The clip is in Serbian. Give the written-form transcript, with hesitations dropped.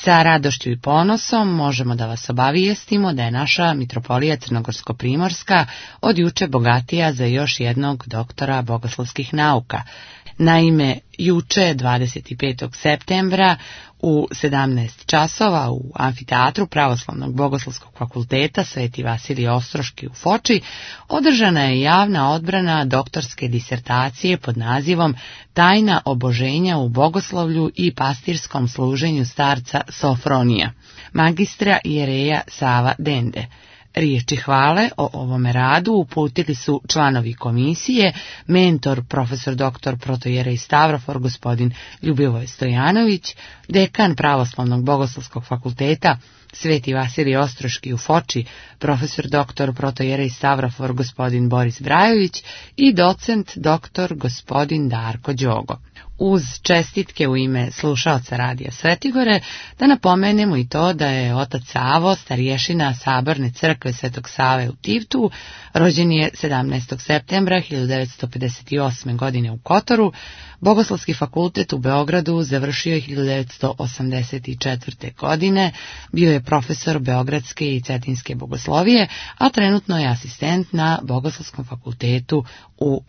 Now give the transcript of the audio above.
Sa radošću i ponosom možemo da vas obavijestimo da je naša mitropolija Crnogorsko-primorska od juče bogatija za još jednog doktora bogoslovskih nauka. Naime, juče 25. septembra u 17 časova u amfiteatru Pravoslavnog bogoslovskog fakulteta Sveti Vasilije Ostroški u Foči održana je javna odbrana doktorske disertacije pod nazivom Tajna oboženja u bogoslovlju i pastirskom služenju starca Sofronija, magistra Jereja Sava Dende. Riječi hvale o ovome radu uputili su članovi komisije, mentor profesor dr. protojerej Stavrofor gospodin Ljubivoj Stojanović, dekan Pravoslavnog bogoslovskog fakulteta Sveti Vasilije Ostroški u Foči, profesor dr. protojerej Stavrofor gospodin Boris Brajović i docent dr. gospodin Darko Đogo. Uz čestitke u ime slušaoca Radija Svetigore, da napomenemo i to da je otac Savo, starješina Saborne crkve Svetog Save u Tivtu, rođen je 17. septembra 1958. godine u Kotoru, Bogoslovski fakultet u Beogradu završio je 1984. godine, bio je profesor Beogradske i Cetinske bogoslovije, a trenutno je asistent na Bogoslovskom fakultetu u